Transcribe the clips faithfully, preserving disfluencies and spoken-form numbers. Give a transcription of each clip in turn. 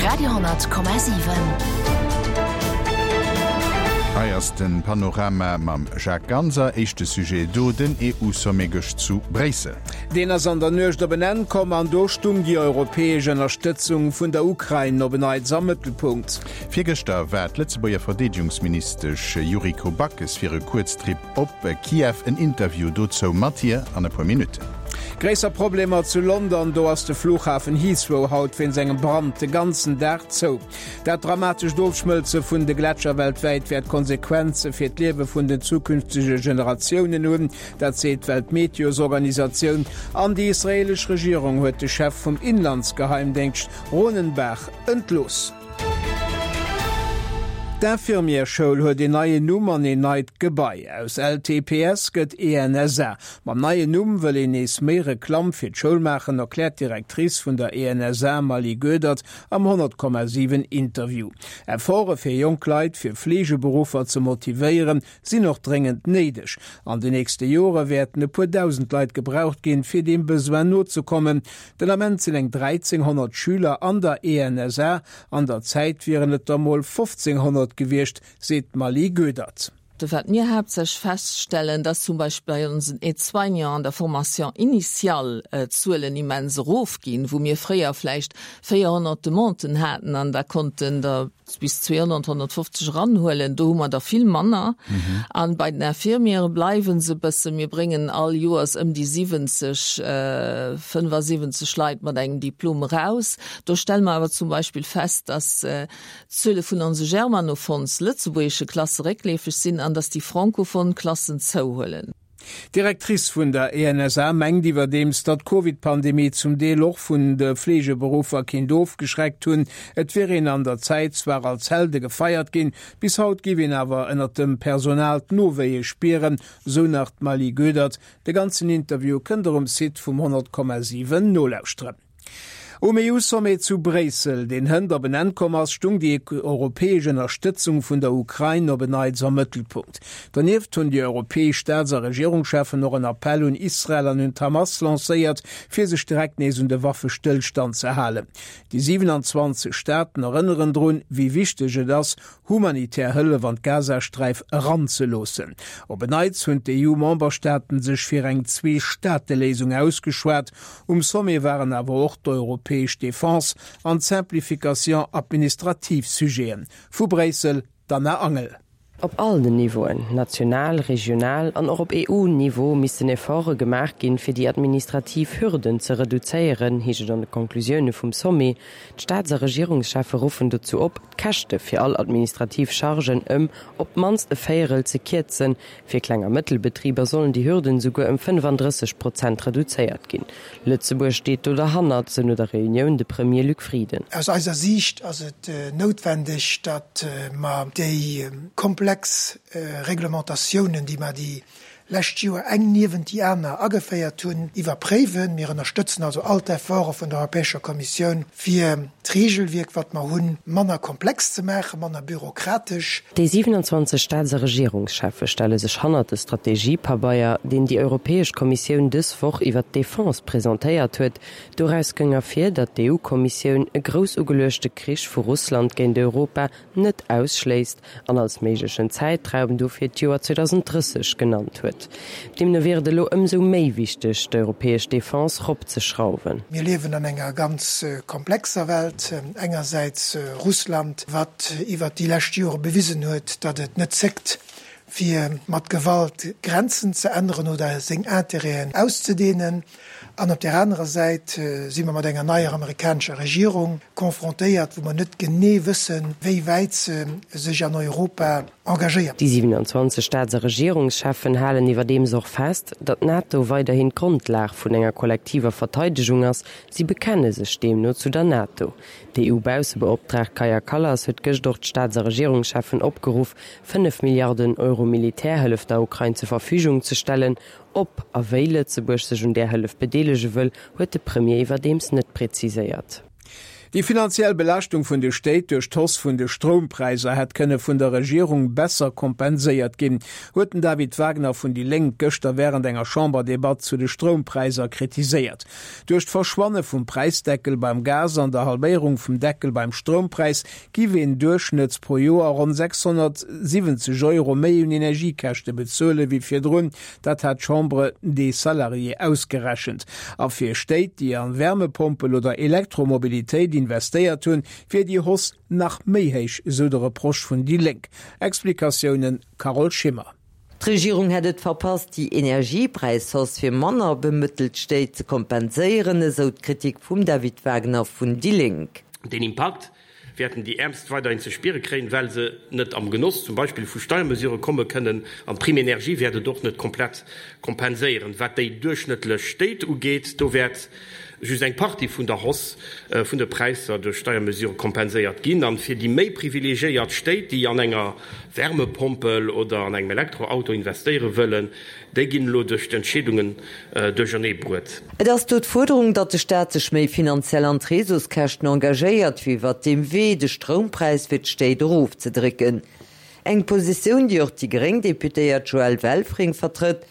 Radio honnert Komma siwen. Hei ass den Panorama mam Jacques Ganser. Éischte Sujet do, den E U-Sommet gëscht zu Bréissel. Deen ass an der Nuecht op en Enn komm an do stung déi europäesch Ënnerstëtzung vun der Ukrain op en Neits am Mëttelpunkt. Virgëschter war d'Lëtzebuerger Verdeedegungsministesch Yuriko Backes fir e Kuerztrip op Kiew. En Interview dozou mat hir an e puer Minutten. Gréisser Problemer zu London, do ass de Flughafen Heathrow haut wéinst engem Brand de ganzen Dag zou. Dat dramatescht Ofschmëlze vun de Gletscher weltwäit wäert Konsequenze fir d'Liewe vun den zukünftege Generatiounen hunn, dat seet d'Weltmeteororganisatioun. An déi israeelesch Regierung huet de Chef vum Inlandsgeheimdéngscht Ronen Bar entlooss. D'Infirmièrsschoul huet een neien Numm an een neit Gebai. Aus L T P S gëtt E N S A. Mam neien Numm wëll een nees méi Reklamm fir d'Schoul maachen, erkläert d'Directrice vun der E N S A Mali Goedert am honnert Komma siwen Interview. Efforte fir jonk Leit fir Fleegeberuffer ze motivéieren, sinn och dréngend néideg. An de nächste Jore wäerten e puer dausend Leit gebraucht ginn, fir deem Besoin nozekommen. Den Ament sinn eng dräizénghonnert Schüler an der E N S A. An der Zäit wieren et der mol fofzénghonnert gewiescht, seet Mali Goedert. Wat mir haaptsächlech feststellen, dass zum Beispill bei onsen Aide-soignants an der Formation initiale, äh, d'Zuelen immens erofginn, wou mir fréier vläicht véierhonnert Demanden haten an da konnten der bis zweihonnert, honnertfofzeg eranhuelen, do hu mer der vill manner. An bei den Infirmiere bleiwen se e bëssen, mir bréngen all Joers ëm déi siwwenzeg, äh, fënnfasiwwenzeg Leit mat engem Diplom eraus. Do stelle mer awer zum Beispill fest, dass, äh, d'Zuele vun onse germanophons lëtzebuergesche Klasse réckleefeg sinn an dass déi francophon Klassen zouhuelen. D'Directrice vun der E N S A mengt iwwerdeems, datt d'Covid-Pandemie zum Deel och vun de Fleegeberuffer kinnt ofgeschreckt hunn. Et wier een an der Zäit zwar als Helde gefeiert ginn, bis haut giff een awer ënnert dem Personal d'Nowéie spieren, sou nach d'Mali Goedert. De ganzen Interview kënnt der um Site vum honnert Komma siwen nolauschteren. Um E U-Sommet zu Bréissel, deen hënt op en Enn komm ass, stung déi europäesch Ënnerstëtzung vun der Ukrain op en Neits am Mëttelpunkt. Donieft hunn déi europäesch Staats- a Regierungscheffen och en Appell un Israel an un d'Hamas lancéiert, fir sech direkt nees un de Waffestëllstand ze halen. Déi siewenundzwanzeg Staaten erënneren drun, wéi wichteg et ass, humanitär Hëllef an d'Gazasträif eranzeloossen. Op en Neits hunn d'E U-Memberstaaten sech fir eng Zwee-Staate-Léisung ausgeschwat. Um Sommet waren awer och d'europäesch Defense an d'Simplification administrative Sujeten. Vu Bréissel, d'Anna Angel. Op all den Niveauen, national, regional an och op E U-Niveau missten Efforte gemaach ginn, fir déi administrativ Hürden ze reduzéieren, heescht et an de Konklusioune vum Sommet. D'Staats- a Regierungscheffe ruffen dozou op, d'Käschte fir all administrativ Chargen ëm op d'mannst e Véierel ze kierzen. Fir Kleng- a Mëttelbetriber sollen déi Hürden souguer ëm fënnefandrësseg Prozent reduzéiert ginn. Lëtzebuerg steet do derhannert, sou no der Reunioun de Premier Luc Frieden. Aus eiser Siicht ass et noutwendeg, datt mer déi komplex Reglementatiounen, déi mer déi lescht Joer eng niewent déi aner ageféiert hunn, iwwerpréiwen. Mir ënnerstëtzen also all d'Efforte vun der Europäescher Kommissioun, fir d'Regelwierk, wat mer hunn, manner komplex ze maachen, manner bürokratesch. Déi siewenundzwanzeg Staats- a Regierungscheffe stelle sech hannert de Strategiepabeier, deen déi Europäesch Kommissioun dës Woch iwwer d'Defense presentéiert huet. Doraus gëng ervir, datt d'E U-Kommissioun e grouss ugeluechte Krich vu Russland géint Europa net ausschléisst an als méiglechen Zäitraum dofir d'Joer zweitausenddrësseg genannt huet. Deemno wier et elo ëmsou méi wichteg, d'europäesch Defense ropzeschrauwen. Mir liewen an enger ganz komplexer Welt. Engersäits Russland, wat iwwer déi lescht Jore bewisen huet, datt et net zéckt, fir mat Gewalt Grenzen ze änneren oder seng Intérêten auszedehnen. An op der anerer Säit si mer mat enger neier amerikanescher Regierung konfrontéiert, wou mer net genee wëssen, wéi wäit se sech an Europa engagéiert. Déi siewenundzwanzeg Staats- a Regierungscheffen halen iwwerdeems och fest, datt d'NATO weiderhin d'Grondlag vun enger kollektiver Verteidegung ass. Si bekenne sech deemno zu der NATO. D'E U-Baussebeoptraagt Kaja Kallas huet gëscht och d'Staats- a Regierungscheffen opgeruff, fënnef Milliarden Euro Militärhëllef der Ukrain zur Verfügung ze stellen. Ob a wéi Lëtzebuerg sech un där Hëllef bedeelege wëll, huet de Premier iwwerdeems net präziséiert. Déi finanziell Belaaschtung vun de Stéit duerch d'Hausse vun de Stroumpräisser hätt kënne vun der Regierung besser kompenséiert ginn, huet den David Wagner vun déi Lénk gëschter wärend enger Chamberdebatt zu de Stroumpräisser kritiséiert. Duerch d'Verschwanne vum Präisdeckel beim Gas an der Halbéierung vum Deckel beim Stroumpräis giff een duerchschnëtts pro Joer ronn sechshonnertsiwwenzeg Euro méi un Energiekäschte bezuele wéi virdrun. Dat hat d'Chambre des Salariés ausgerechent. A fir Stéit, déi an Wärmepompel oder Elektromobilitéit investéiert hunn, wier déi Hausse nach méi héich, esou de Reproche vun déi Lénk. Explikatiounen, Carole Schimmer. D'Regierung hätt et verpasst, déi Energiepräishausse fir manner bemëttelt Stéit ze kompenséieren, esou d'Kritik vum David Wagner vun déi Lénk. Deen Impakt wäerten déi Äermst weiderhin ze spiere kréien, well se net am Genoss zum Beispill vu Steiermesurë komme kënnen. An d'Prime énergie wäert et och net komplett kompenséieren. Wat déi duerchschnëttlech Stéit ugeet, do wäert just eng Partie vun der Hausse vun de Präisser duerch Steiermesurë kompenséiert ginn. An fir déi méi privilegiéiert Stéit, déi an enger Wärmepompel oder an engem Elektroauto investéiere wëllen, déi ginn elo duerch d'Entscheedungen duerchernee bruet. Et ass do d'Fuerderung, datt de Staat sech méi finanziell an d'Réseauskäschten engagéiert, fir iwwert deem Wee de Stroumpräis fir d'Stéit erofzedrécken. Eng Positioun, déi och déi gréng Deputéiert Joëlle Welfring vertrëtt.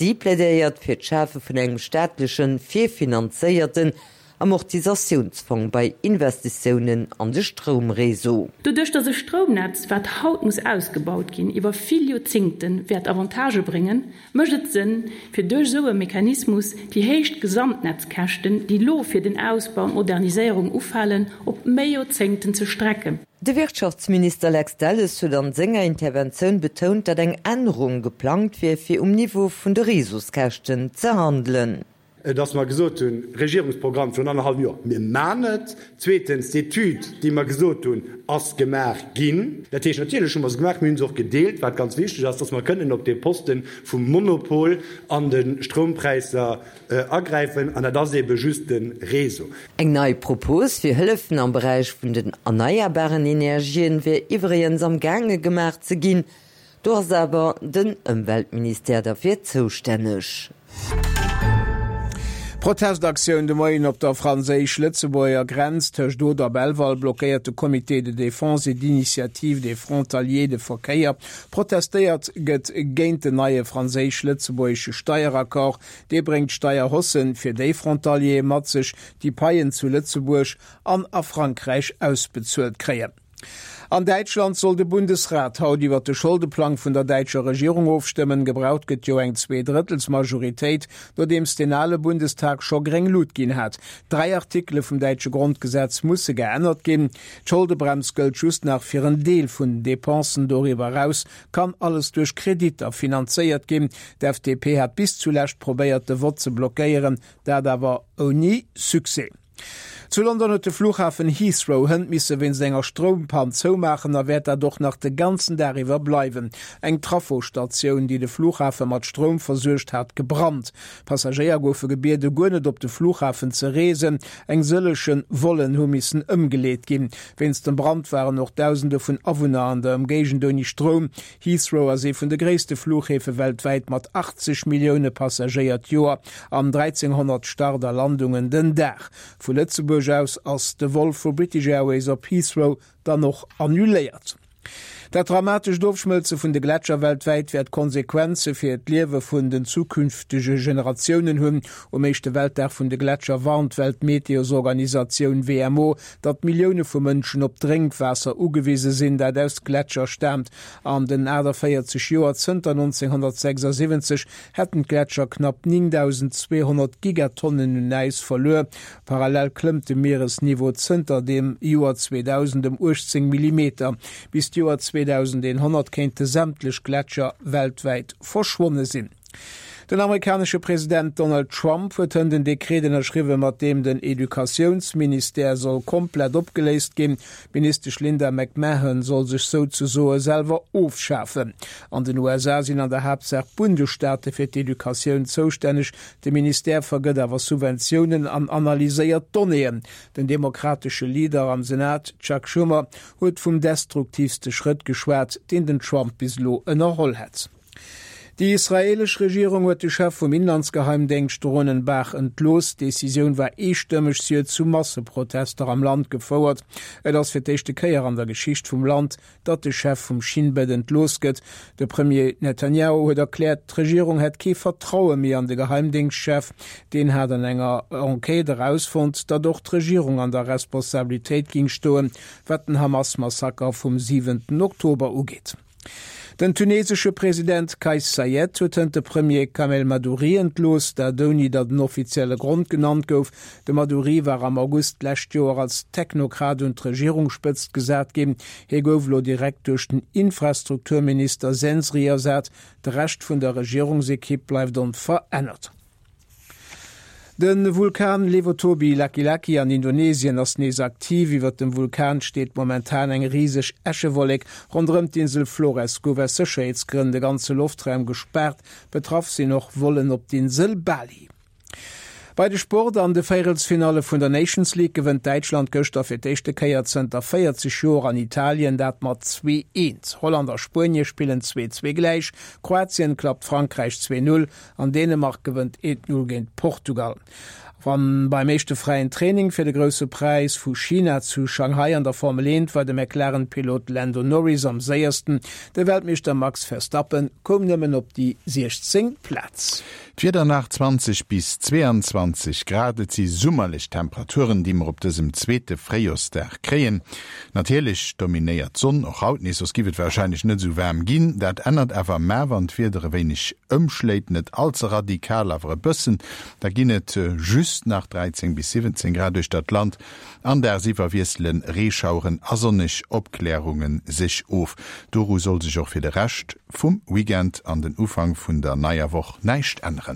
Si plädéiert fir d'Schafe vun engem staatlechen, virfinanzéierten Amortisatiounsfong bei Investitiounen an de Stroumreseau. Doduerch dass e Stroumnetz, wat haut muss ausgebaut ginn, iwwer vill Joerzéngte wäert Avantagë bréngen, mécht et Sënn, fir duerch esou e Mechanismus déi héich Gesamtnetzkäschten, déi elo fir den Ausbau an d'Moderniséierung ufalen, op méi Joerzéngten ze strecken. De Wirtschaftsminister Lex Delles huet an senger Interventioun betount, datt eng Ännerung geplangt wier, fir um Niveau vun de Réseauskäschten ze handelen. Dass mer gesot hunn, Regierungsprogramm virun annerhallwem Joer, mir man et. Zweetens, d'Etüd, déi mer gesot hunn, ass gemaach ginn. Dat heescht, natierlech hu mer se gemaach, mir hu se och gedeelt, wat ganz wichteg ass, dass mer kënnen op dee Poste vum Monopol an de Stroumpräisser agräifen, an dat ass eebe just de Réseau. Eng nei Propos fir Hëllefen am Beräich vun den erneierbaren Energien wier iwwregens am gaange gemaach ze ginn. Do ass awer den Ëmweltministère derfir zoustänneg. Protestaktioun de Moien op der franséisch-lëtzebuerger Grenz. Tëscht Oder a Belval blockéiert de Comité de défense et d'initiative des frontaliers de Verkéier. Protestéiert gëtt géint den neie franséisch-lëtzebuergesche Steieraccord. Dee bréngt Steierhaussë fir déi Frontaliere mat sech, déi Paien zu Lëtzebuerg an a Frankräich ausbezuelt kréien. An Däitschland soll de Bundesrat haut iwwer de Scholdeplang vun der däitscher Regierung ofstëmmen. Gebraucht gëtt jo eng Zweedrëttelsmajoritéit, nodeems den ale Bundestag scho gréng Lut ginn hat. Dräi Artikele vum däitsche Grondgesetz musse geännert ginn. D'Scholdebremms gëllt just nach fir en Deel vun den Depensen, doriwwer eraus kann alles duerch Kreditter finanzéiert ginn. D'F D P hat bis zulescht probéiert de Vott ze blockéieren, dat awer ouni Succès. Zu London huet de Flughafen Heathrow hënt misse wéinst enger Stroumpann zoumaachen a wäert dat och nach de ganzen Dag iwwer bleiwen. Eng Trafostatioun, déi de Flughafe mat Stroum versuergt, hat gebrannt. Passagéier goufe gebiede guer net op de Flughafen ze reesen. Eng sëlleche Vollen hu missen ëmgeleet ginn. Wéinst dem Brand waren och Dausende vun Awunner an der Ëmgéigend ouni Stroum. Heathrow ass ee vun de gréisste Flughäfe weltwäit mat achtzeg Millioune Passagéier d'Joer an dräizénghonnert Start a Landungen den Dag. Vu Lëtzebuerg aus ass de Vol vu British Airways op Heathrow dann och annuléiert. Dat dramatescht Ofschmëlze vun de Gletscher weltwäit wäert Konsequenze fir d'Liewe vun den zukünftege Generatiounen hunn. Um éischte Weltdag vun de Gletscher warnt d'Weltmeteororganisatioun W M O, datt Millioune vu Mënschen op Drénkwaasser ugewise sinn, dat aus Gletscher staamt. An den aachtavéierzeg Joer zënter nonzénghonnertsechsasiwwenzeg hätten d'Gletscher knapp néngdausendzweehonnert Gigatonnen un Äis verluer. Parallel klëmmt de Mieresniveau zënter dem Joer zweedausend ëm uechtzéng Millimeter. Bis d'Joer zweedausendeenhonnert kéinte sämtlech Gletscher weltwäit verschwonne sinn. Den amerikanesche President Donald Trump huet hënt en Dekret ënnerschriwwen, mat deem den Educatiounsministère soll komplett opgeléist ginn. D'Ministesch Linda McMahon soll sech souzesoe selwer ofschafen. An den U S A sinn an der Haaptsaach d'Bundesstaate fir d'Educatioun zoustänneg. De Ministère vergëtt awer Subventiounen an analyséiert Donnéeën. Den demokratesche Leader am Senat, Chuck Schumer, huet vum destruktiivste Schrëtt geschwat, deen den Trump bis elo ënnerholl hätt. Déi israeelesch Regierung huet de Chef vum Inlandsgeheimdéngscht Ronen Bar entlooss. D'Decisioun war eestëmmeg, si huet zu Masseprotester am Land gefouert. Et ass fir d'éischte Kéier an der Geschicht vum Land, datt de Chef vum Shin Bet entlooss gëtt. De Premier Netanjahu huet erkläert, d'Regierung hätt kee Vertraue méi an de Geheimdéngschtchef. Deen hat an enger Enquête erausfonnt, datt och d'Regierung an der Responsabilitéit géing stoen, wat den Hamas-Massaker vum siwenten Oktober ugeet. Den tunesesche President Kais Saied huet hënt de Premier Kamel Madouri entlooss, dat ouni datt en offizielle Grond genannt gouf. De Madouri war am August d'lescht Joer als Technokrat un d'Regierungsspëtzt gesat ginn. Hie gouf elo direkt duerch den Infrastrukturminister Sensri ersat. De Rescht vun der Regierungsekipp bleift onverännert. De Vulkan Lewotobi Laki-Laki an Indonesien ass nees aktiv. Iwwer dem Vulkan steet momentan eng riseg Äschewollek. Ronderëm d'Insel Flores gouf aus Sécherheetsgrënn de ganze Loftraum gespaart. Betraff sinn och Vollen op d'Insel Bali. Bei de Sport an de Véierelsfinalle vun der Nations League gewënnt Däitschland gëschter fir d'éischte Kéier zënter véierzeg Joer an Italien, dat mat zwee, eent. Holland a Spuenie spillen zwee, zwee gläich, Kroatien klappt Frankräich zwee, null an Dänemark gewënnt eent, null géint Portugal. An beim éischte fräien Training fir de Grousse Präis vu China zu Shanghai an der Formel eent war de McLaren-Pilot Lando Norris am séiersten. De Weltmeeschter Max Verstappen koum nëmmen op déi siechzéngt Plaz. D'Wieder nach, zwanzeg bis zweeanzwanzeg Grad, et si summerlech Temperaturen, déi mer op dësem zweete Fréijorsdag kréien. Natierlech dominéiert d'Sonn och haut nees, soss giff et warscheinlech net esou waarm ginn. Dat ännert awer mar, wann d'Wieder e wéineg ëmschléit, net all ze radikal, awer e bëssen, da ginn et just nach dräizéng bis siwwenzéng Grad uechter d'Land an dagsiwwer wiessele Reeschaueren a sonneg Opklärunge sech of. Doru soll sech och fir de Rescht vum Weekend an den Ufank vun der neier Woch näischt änneren.